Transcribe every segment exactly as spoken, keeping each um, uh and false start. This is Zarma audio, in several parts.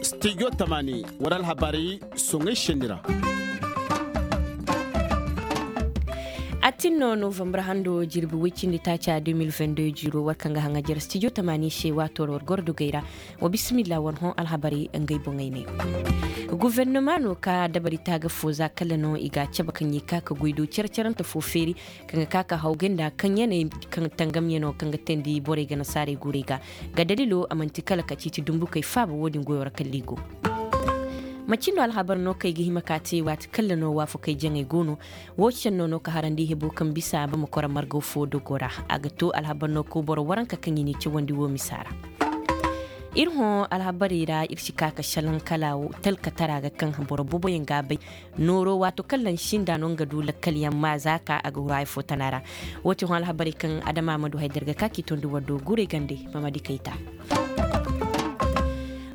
Studio tamani, wara alhabarey soŋay senni ra. A tin no novembre hando jirbi way cindi taaca deux mille vingt-deux jiiro war kaŋ ga haŋajer studio tamani se waato ra war goro dogey ra. Wa bismillah war hõ alhabarey ngey boŋey ne. Guvernoma no ka dabari taaga fo za kala no i ga a cabe kaŋ i ka ka goy do care-carante fo feeri kaŋ ga ka ka hawgay nda kaŋ yaney kaŋ tangamyano kaŋ ga teendi borey ga nasaarey guurey ga. Ga dalilo a manti kala ka ciiti dumbukey faaba wo- din goyo ra kala i go. Macin no alhabar no kaŋ i ga hima ka te waati kala no waafakey jaŋey go no. Wo senno no ka harandi hebo kaŋ bisa bama kora margaw fo dogo ra. A ga to alhabar no ka boro waranka kaŋ i n'i cawandi wo misa ra. Iri hõ alhabarey ra iri si ka ka salaŋ kala talkatara ga kaŋ boro boboyaŋ ga a bay. Nooro waato kaŋ lansinda no nga du lakkalyaŋ ma za ka a ga huru haya fo tana ra. Wo ti hõ alhabarey kaŋ adama ma du haydar ga ka k'i tondi war do guray gande. Mamadi kayta.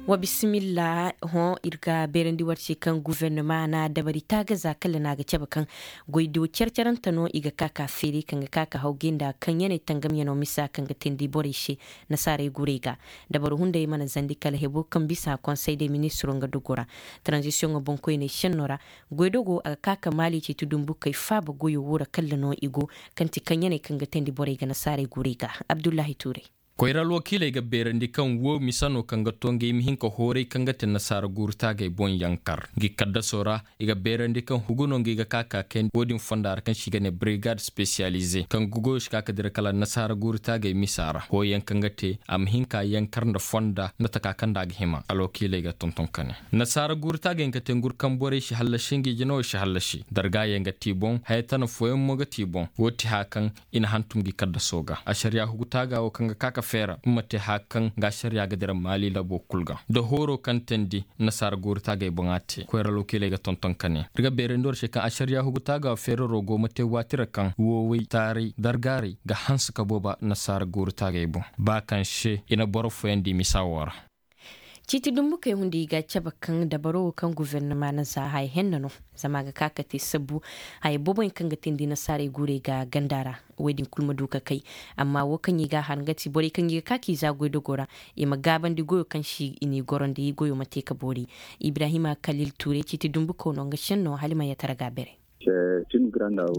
Wa bisimilla. Hõ iri ga beerandi war se kaŋ guvernoma na dabari taaga za kala no a ga cabe kaŋ goy do care-carante no i ga ka ka feeri kaŋ ga ka ka hawgay nda kaŋ yaney tangamyano misa kaŋ ga teendi borey se. Nasaarey guray ga dabaro hunday mana zandi kala hebo kaŋ bisa konsey de ministiro nga dogo ra. Taranzisiyoŋo boŋkoyney senno ra. Goydogo a ga ka ka maali ceeti dumbukey faaba goyo wo ra kala no i go. Kaŋ ti kaŋ yaney kaŋ ga teendi borey ga nasaarey guray ga. Abdullahi tuuray. Koyra alwakiiley ga beerandi kaŋ wo misa no kaŋ ga to nga i ma hin ka hooray kaŋ ga te nasaara guuru taagey boŋ yankar ngi kaddaso ra. I ga beerandi kaŋ hugu no ngi ga ka ka kay wo- din fonda ra kaŋ se i ga ne brigade spesiyalize kaŋ ga goyo si ka ka dira kala nasaara guuru taagey misa ra hooyaŋ kaŋ ga te a ma hin ka yankar nda fonda nda taka kaŋ nda a ga hima alwakiiley ga tonton ka ne. Nasaara guuru taagey nga te ngurkaŋ borey si hallasi ngi jinawo si hallasi dargaayaŋ ga ti boŋ haya tana fooyaŋ mo ga ti boŋ. Wo ti haya kaŋ i na hantum ngi kaddaso ga asariya hugu taaga wo kaŋ ga ka ka feera nga ma te haya kaŋ nga asariya ga dira maali labo kulu ga da hooro kaŋ teendi. Nasaara guuru taagey boŋ a te koyra alwakiiley ga tonton ka ne iri ga beerandi war se kaŋ asariya hugu taaga feeraro go ma te waati ra kaŋ woowey taaray dargaaray ga hanse ka booba nasaara guuru taagey boŋ ba kaŋ se i na boro fooyaŋ di misa wo ra. Ciiti dumbukey hunday i ga cabe kaŋ dabaro wo kaŋ guvernoma na za haya henna no. Zama a ga ka ka te sabbu haya booboyaŋ kaŋ ga teendi nasaarey guurey ga ganda ra. Wo- din kulu ma du ka kay. Amma wo kaŋ i ga a har nga ti borey kaŋ i ga ka k'i za goydogo ra i ma gaabandi goyo kaŋ se i n'i gorondi goyo ma te ka boori. Ibrahima kalil tuuray ciiti dumbuko no nga senno hala i ma yatara ga beeray.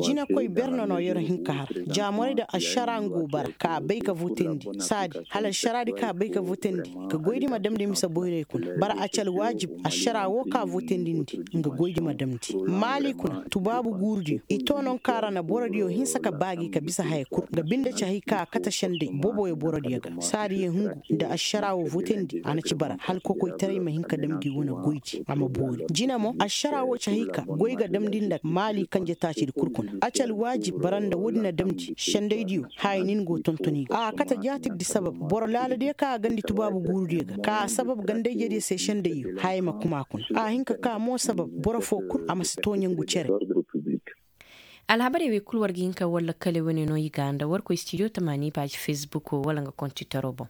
Jinakoy berne no yer hin ka har jaamorey da ašara nga go bara ka bay ka votandi saadi hala ašara di ka bay ka votandi. Ka goy di ma damndi misa boyrey kuna bara a ci alwaajib ašara wo ka votandi ndi nga goy di ma damndi maali kuna tubaabu guuru diyo i to no nga kaara na boro diyo hinsa ka baagi ka bisa haya kulu nga binde cahi ka kate sendey boboyo boro diyo ga saadi ye hungu nda ašara wo votandi a na ci bara hala kokoytaray ma hin ka dam gi wane goy di a ma boori jina mo ašara wo cahi ka goy ga damndi nda maali kanje taaci di kulu kuna a ci alwaajib bara nda wo- din a damndi sendey diyo haya nin go tontoni ga a kate jaati di sabab boro laala diyo ka a gandi tubaabu guuru diyo ga ka a sabab gandayje diyo se sendey yo haya ma kuma kuna a hin ka ka mo sabab boro fo kulu a ma si to ɲangu cere. Alhabarey wey kulu war ga hin ka war lakkale wane no i ga nda war koy studio tamaani paaji fesbuk wala nga kontitaro boŋ.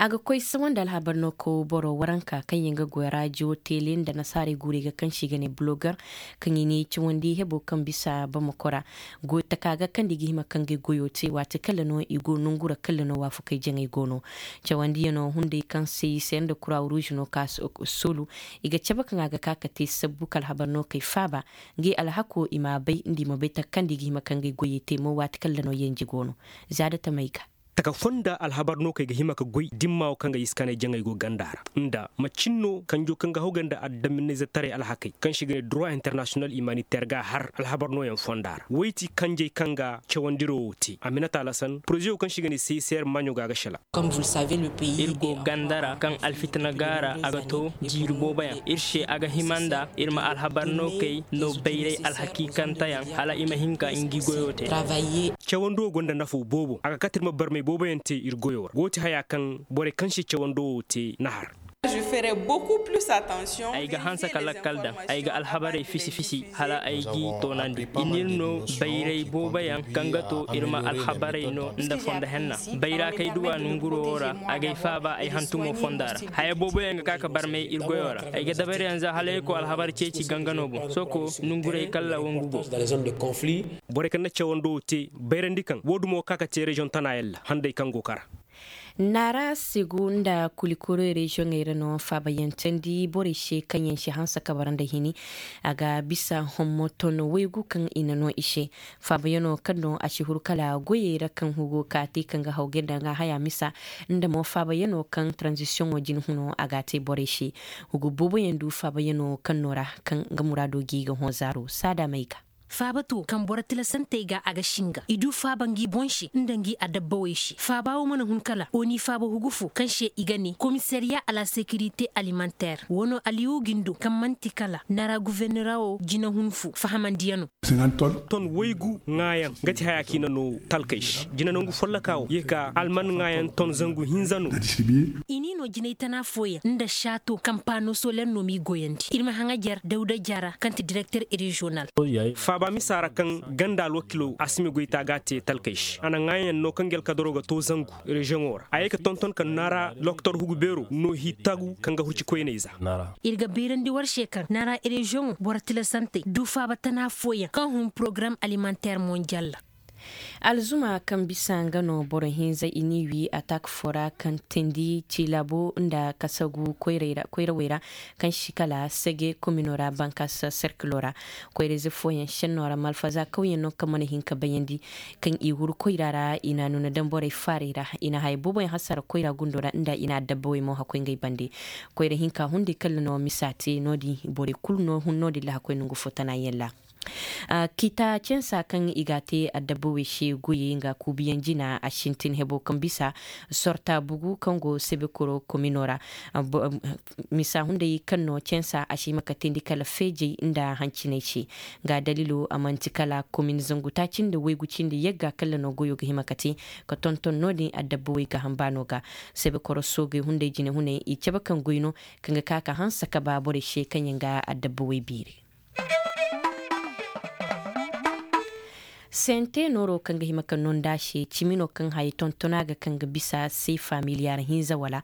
A ga koy sawandi alhabar no ka boro waranka kaŋ yaŋ ga goy raajiyo teele nda nasaarey guurey ga kaŋ se i ga ne bulogar kaŋ i ne cawandi hebo kaŋ bisa bamako ra. Goyo taka ga kaŋ da i ga hima kaŋ ga goyo te waati kala no i go nongu ra kala no waafakey jaŋey go no. Cawandiyano hunday kaŋ se i se nda kura ruuž no ka soolu i ga cabe kaŋ a ga ka ka te sabbu ka alhabar no kay faaba. Ngey alhako i m'a bay nda i ma bay taka kaŋ da i ga hima kaŋ ga goyey te mo waati kala no yanji go no. Za da tamey ga. Taka fonda alhabar no kay ga hima ka goy dimma wo kaŋ ga iskanay jaŋay go ganda ra nda macin no kanjo kaŋ ga hawgay nda addaminayzataray alhakay kaŋ se i ga ne droit international humanitaire ga har alhabar nooyaŋ fonda ra wayti kanjey kaŋ ga cawandiro wo te a minata lasan poroze wo kaŋ se i ga ne cicr maaɲo ga ga sela. Iri go ganda ra kaŋ alfitina ga ra a ga to jiiri boobo yaŋ iri se a ga hima nda iri ma alhabar no kay no bayray alhakiikanteyaŋ hala i ma hin ka ngi goyo te. Cawando gonda nafo boobo a ga kate iri ma barmay boobo yaŋ te iri goyo ra go ti haya kaŋ borey kaŋ se cawando wo te na har. Ay ga hanse ka lakkal daŋ, ay ga alhabarey fisi-fisi hala ay g'i toonandi. I n'iri no bayray boobo yaŋ kaŋ ga to iri ma alhabarey no nda fondo henna. Bayra kay duw'a nunguro wo ra, a g'ay faaba ay hantumo fonda ra. Haya boobo yaŋ ga ka ka barmay iri goyo ra. Ay ga dabari yaŋ za hala ay ko alhabar ceeci gangano boŋ. Sohõ ko nungurey kala wangu go. Borey kaŋ na cawando wo te bayrandi kaŋ wo dumo ga ka ka te reziyoŋ tana yaŋ ra handay kaŋ go kara. Naara segu nda kulikoro reziyoŋey ra no faabayaŋ candi borey se kaŋ yaŋ si hanse ka bara nda hini. A ga bisa hommo ton waygu kaŋ i na no i se. Faabayaŋo kaŋ no a si huru kala goyey ra kaŋ hugo ka te kaŋ ga hawgay nda nga haya misa nda mo faabayaŋo kaŋ taranzisiyoŋo jine huno a ga a te borey se. Hugo boobo yaŋ du faabayaŋo kaŋ no ra kaŋ nga muraado ga i ga hõ zaaro saada may ga. Faaba to kaŋ boro tilasantey ga a ga singa i du faaba ngi boŋ se nda ngi adabbawey se faaba wo mana hun kala oni faaba hugu fo kaŋ se i ga ne komisariya a la sekirite alimanteer wano aliyu gindo kaŋ manti kala nara guvernorawo jinahun fo fahamandiyano. Ton waygu ŋaayaŋ ga ti haya kaŋ i na no talkey se jina nangu folloka wo ye ka alman ŋaayaŋ ton zangu hinza no. I n'i no jinay tana fooyaŋ nda saato kaŋ paano soler no m'i goyandi iri ma haŋajer dawda jara kaŋ ti direkter reziyonal. Faaba misa ra kaŋ ganda alwakilo asimi goyta ga a te talkey se a na ŋaayaŋ no kaŋ gelkadaro ga to zangu reziyoŋo ra a ye ka tonton ka naara lokotor hugu beero no hi tagu kaŋ ga hurci koyney za. Iri ga bayrandi war se kaŋ naara reziyoŋo boro tilasantey du faaba tana fooyaŋ kaŋ hun porogaram alimanteer monjal ra. Alzuma kaŋ bisa nga no boro hinza i n'i wi atak fo ra kaŋ tindi ci laabo nda kasagu koyrawey ra kaŋ si kala sege komino ra bankas serkilo ra. Koyrayze fooyaŋ senno ra malfaza kawyaŋ no kaŋ mana hin ka bayandi kaŋ i huru koyra ra i na a nuna daŋ borey faarey ra i na haya boobo yaŋ hasara koyra gundo ra nda i na adabbawey mo hakkoy ngey bande. Koyra hinka hunday kala no misa te no- din borey kulu no hun no- din ra hakkoy nangu fo tana yaŋ ra. Kita censa kaŋ i ga a te adabba wey se goyey nga kuubiyaŋ jina a sintin hebo kaŋ bisa sorta bugu kaŋ go sebekoro komino ra. Misa hunday kaŋ no censa a si hima ka teendi kala feejey nda hanciney se. Nga daliilo a manti kala komin zangu taaci nda waygu cindi yagga kala no goyo ga hima ka te ka tonton no- din adabba wey gaaham baano ga. Sebekoro soogey hunday jinehuney i cabe kaŋ goy no kaŋ ga ka ka hanse ka ba borey se kaŋ yaŋ ga adabba wey beeri. Sente nooro kaŋ ga hima ka no nd'a se cimi no kaŋ haya tontona ga kaŋ ga bisa seefa miliyaar hinza wala.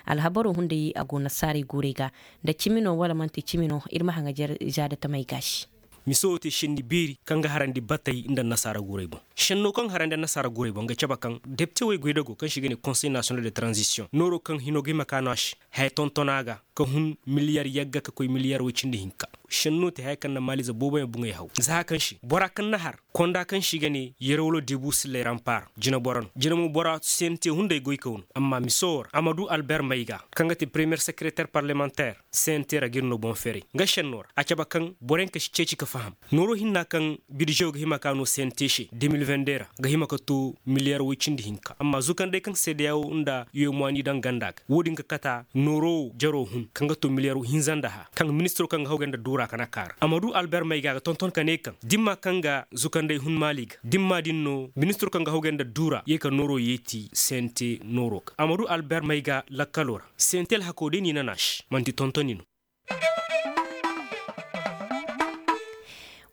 Alhabaro hunday a go nasaarey guurey ga nda cimi no wala manti cimi no iri ma haŋajer zaada tamey gaasi. Miso wo te senni beeri kaŋ ga harandi batey nda nasaara guurey boŋ. Senno kaŋ harandi nasaara guurey boŋ ga cabe kaŋ depite wey goydago kaŋ se i ga ne konsey nasiyonal de taranzisiyoŋ nooro kaŋ hino ga hima ka no a se haya tontona ga ka hun miliyar yagga ka koy miliyar way cindi hinka. Senno te haya kaŋ na maaliize boobo yaŋ buŋey haw za haya kaŋ se bora kaŋ na har konda kaŋ se i ga ne yerwalo debu sillay rampaar jinaboro no jinamo bora sente hunday goykaw no amma miso wo ra a ma du alber mayga kaŋ ga te premiyer sekereter parlemanter. Sente ra ga iri no boŋ feeray nga senno ra a cabe kaŋ boro yaŋ ka si ceeci ka faham nooro hinna kaŋ birzewo ga hima ka no sente se de mil vende ra ga hima ka to miliyar way cindi hinka amma zukandey kaŋ seedeyawo nda yoy mwaani daŋ ganda ga wo- din ga kata nooro wo jaro hun kaŋ ga to miliyar hinza nda hã kaŋ ministiro kaŋ ga hawgay nda duura ka na kaara a ma du alber mayga ga tonton ka ne kaŋ dimma kaŋ ga zukandey hun maali ga dimma din no ministiro kaŋ ga hawgay nda duura ye ka nooro yeeti sente nooro ga a ma du alber mayga lakkalo ra. Sente alhako day no i na naasi manti tontoni no.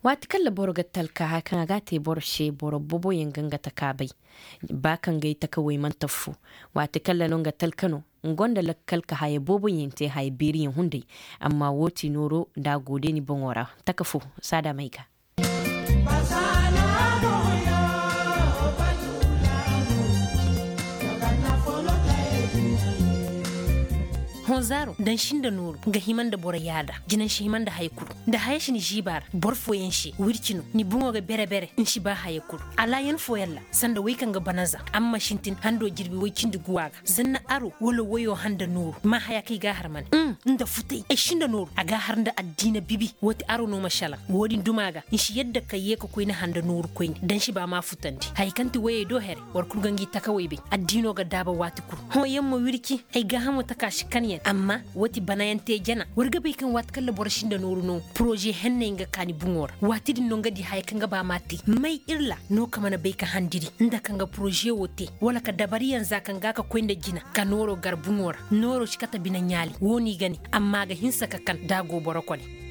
Waati kaŋ ra boro ga talka haya kaŋ a ga a te boro se boro boobo yaŋ ga nga taka bay ba kaŋ gay taka way mana tafu. Waati kaŋ ra no nga talka no nga gonda lakkal ka haya boobo yaŋ te haya beeri yaŋ hunday. Amma wo ti nooro nda a go day ni boŋo ra taka fo saada may ga. Honzaaro nda nsi nda nooru ga hima nda boro yaada jina nsi hima nda haya kulu nda haya si ni ziiba ra boro fooyaŋ se wirci no ni boŋo ga bere-bere nsi ba haya kulu alaayan fooyaŋ ra sanda wey kaŋ ga bana za amma sintin hando jirbi way cindi guwa ga zanna aro wala wayo handa nooru ma haya kaŋ i ga a har mane nda futay ay si nda nooru a ga a har nda addiina bibi woo ti aro no ma salaŋ woo din duma ga nsi yadda ka yee ka koy ni handa nooru koyne da nsi ba ma futandi haya kaŋ ti wayey do here boro kulu ga ngi takawey bay addiino ga daaba waati kulu hõ yaŋ ma wirci ay gaahamo taka si kan yaŋ. Amma wati banayaŋ te jana war ga bay kaŋ waati kaŋ ra boro sinda nooru no poroze henney nga kaani buŋo ra waati din no nga di haya kaŋ ga ba ma te may iri ra no ka mana bay ka handiri nda kaŋ ga poroze wo te wala ka dabariyaŋ za kaŋ ga ka koy nda jina ka nooro gar buŋo ra nooro si kate bine ɲaali wo no i ga ne. Amma a ga hinsa ka kan da a go boro kone.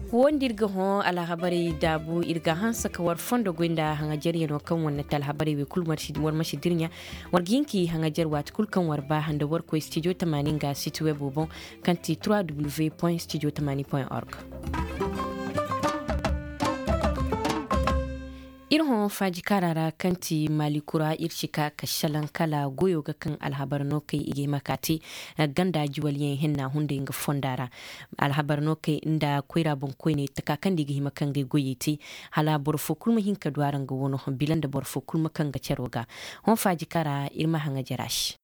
Wo nda iri ga hõ alhabarey daabu iri ga hanse ka war fondo goy nda haŋajaryaŋo kaŋ war na te alhabarey wey kulu war ma si dirɲa. War ga hin ka i haŋajar waati kulu kaŋ war ba nda war koy studio tamaani nga siti webo boŋ kaŋ ti trois w point studio tamaani point org. Iri hõ faaji kaara ra kaŋ ti maali kura iri si ka ka salaŋ kala goyo ga kaŋ alhabar no kay i ga hima ka te ganda jiwalyaŋ hinna hunday nga fonda ra. Alhabar no kay nda koyra boŋ koyne taka kaŋ da i ga hima kaŋ ga goyey te hala boro fo kulu ma hin ka du araŋ ga wano bila nda boro fo kulu ma kaŋ ga caro ga. Hõ faaji kaara iri ma haŋa jara se.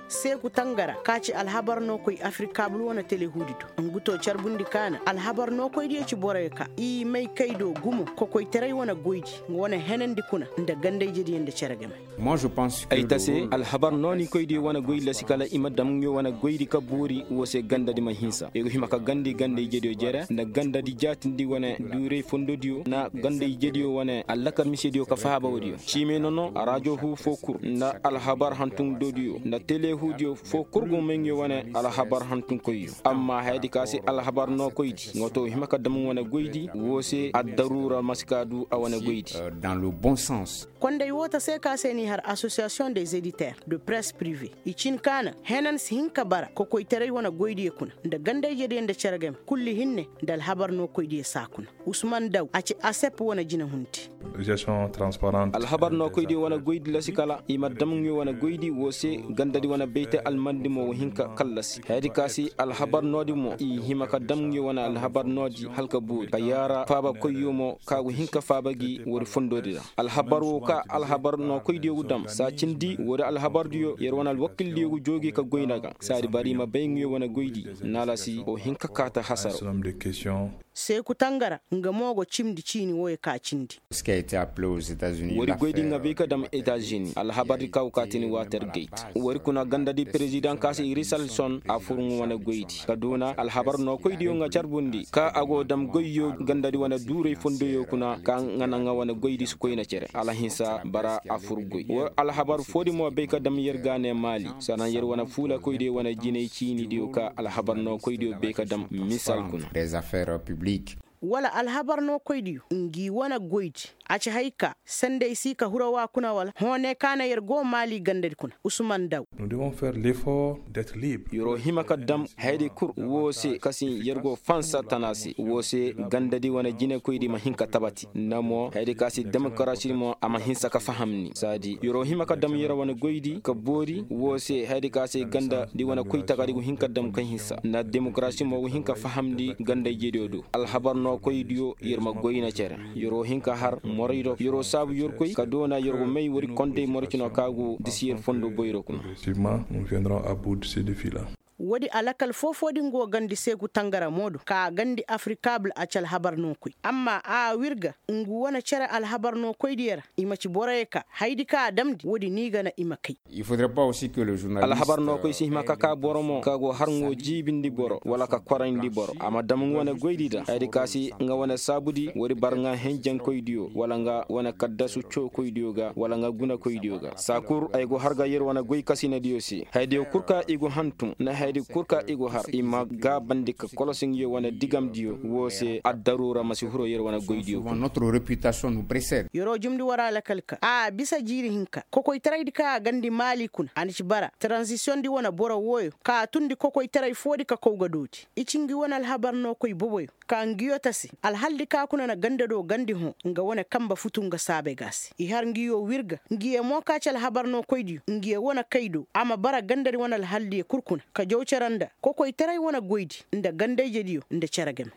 Seeku tangara ka ci alhabar no koy afrikabul wane telehuudi do ngu to carbundi kaana alhabar no koy diyo ci borey ka i may kay do gumo kokoytaray wane goydi nga wane henandi kuna nda gandayjediyo nda cere game. Ay ta se alhabar no ni koy diyo wane goy lasi kala i ma dam ɲo wane goydi ka boori wo se gandadi ma hinsa i go hima ka gandi gandayjediyo jere nda gandadi jaatindi wane duuray fondodiyo nda gandayjediyo wane allakar misediyo ka faaba wodiyo. Ciime no no arajo hu fo kulu nda alhabar hantum dodiyo nda telehudiyo fo kulu go may nga wane alhabar hantum koyyo. Amma hayadi ka se alhabar no koydi nga to hima ka dam wane goydi wo se addaruura ma si ka du a wane goydi. Dans le bon sens. Konday wo ta se ka se ni har association des éditeurs de presse privée i cin kaana henan si hin ka bara kokoytaray wane goydiyo kuna nda gandayjediyo nda cere game kulli hinne nda alhabar no koydiyo saa kuna. Usman daw a ci asep wane jina hunti. Alhabar no koydiyo wane goydi lasi kala i ma dam ɲo wane goydi wo se gandadi wane bayte almandi mo wo hin ka kallasi hayadi ka si alhabar noodi mo i hima ka dam ɲo wane alhabar noodi hala ka boori ka yaara faaba koyyo mo ka go hin ka faaba gi woodi fondoodi ra. Alhabar wo ka alhabar no koydiyo go dam saa cindi woodi alhabardiyo yer wane alwakildiyo go joogi ka goy nda ga saadi bara i ma bay ɲo wane goydi naalasi wo hin ka kaata hasaro. Seeku tangara nga mo go cimndi ciini woyo ka cindi. Wari goydi nga bay ka dam etazini alhabardi ka go ka tini water gate wari kuna gandadi perezidaŋ ka se irisalson a fur nga wane goydi ka doona alhabar no koydiyo nga carbundi ka a go dam goyyo gandadi wane duuray fondoyo kuna ka nga naŋ nga wane goydi si koyne cere alhinsa bara a fur goy wo alhabar foodi mo bay ka dam yer ga ne maali sanaŋ yer wane fuula koydiyo wane jinay ciinidiyo ka alhabar no koydiyo bay ka dam misal kuna. Wala alhabar no koydiyo ngi wane goydi a ci hay ka sanday si ka hurawa kuna wala hõ ne kaana yer go maali gandadi kuna usman daw. Yer'o hima ka dam hayadi kulu wo se kasin yer go fansa tana se wo se gandadi wane jinekoydi ma hin ka tabati nda mo hayadi ka se demokarasi mo a ma hinsa ka faham ni saadi yer'o hima ka dam yer wane goydi ka boori wo se hayadi ka se gandadi wane koytagadi go hin ka dam ka hinsa nda demokarasi mo go hin ka fahamndi gandayjediyo do alhabar no koydiyo yer ma goyna cere. Yer'o hin ka har moraydo yer'o saabu yer koy ka doona yer go may wari kondey morcino ka go disi yer fondo boyro kuna. Woodi alakal foo-foo din go gandi seegu tangaramo do ka gandi afrikabul a ci alhabar no koy amma a wirga ngu wane cere alhabar no koy diyo ra i ma ci boroyo ka haydi ka a damndi woodi no i ga na i ma kay. Alhabar no koy si hima ka ka boro mo ka go har ngo jiibindi boro wala ka korayndi boro a ma dam nga wane goydi da haydi ka si nga wane saabudi woodi bar nga henjankoydiyo wala nga wane kaddasu cookoydiyo ga wala nga gunakoydiyo ga saa kul ay go har ga yer wane goy kasinadiyo se haydiyo kul ka i go hantum nda haydi kul ka i go har i ma gaabandi ka kolosi nga yo wane digamdiyo wo se addaruura ma si huro yer wane goydiyo kul. Yer'o jumndi war alakal ka a bisa jiiri hinka kokoytaraydi kaŋ a gandi maali kuna a na ci bara taranzisiyoŋ di wane boro wooyo ka a tundi kokoytaray foo di ka kow ga dooti i ci ngi wane alhabar no koy boboyo ka ngiyo tasi alhal di ka kuna na ganda do gandi hõ nga wane kamba futu nga saabe ga se i har ngiyo wirga ngiyo mo ka ci alhabar no koydiyo ngiyo wane kay do a ma bara ganda di wane alhal diyo kul kuna ka jaw cere nda kokoytaray wane goydi nda gandayjediyo nda cere game.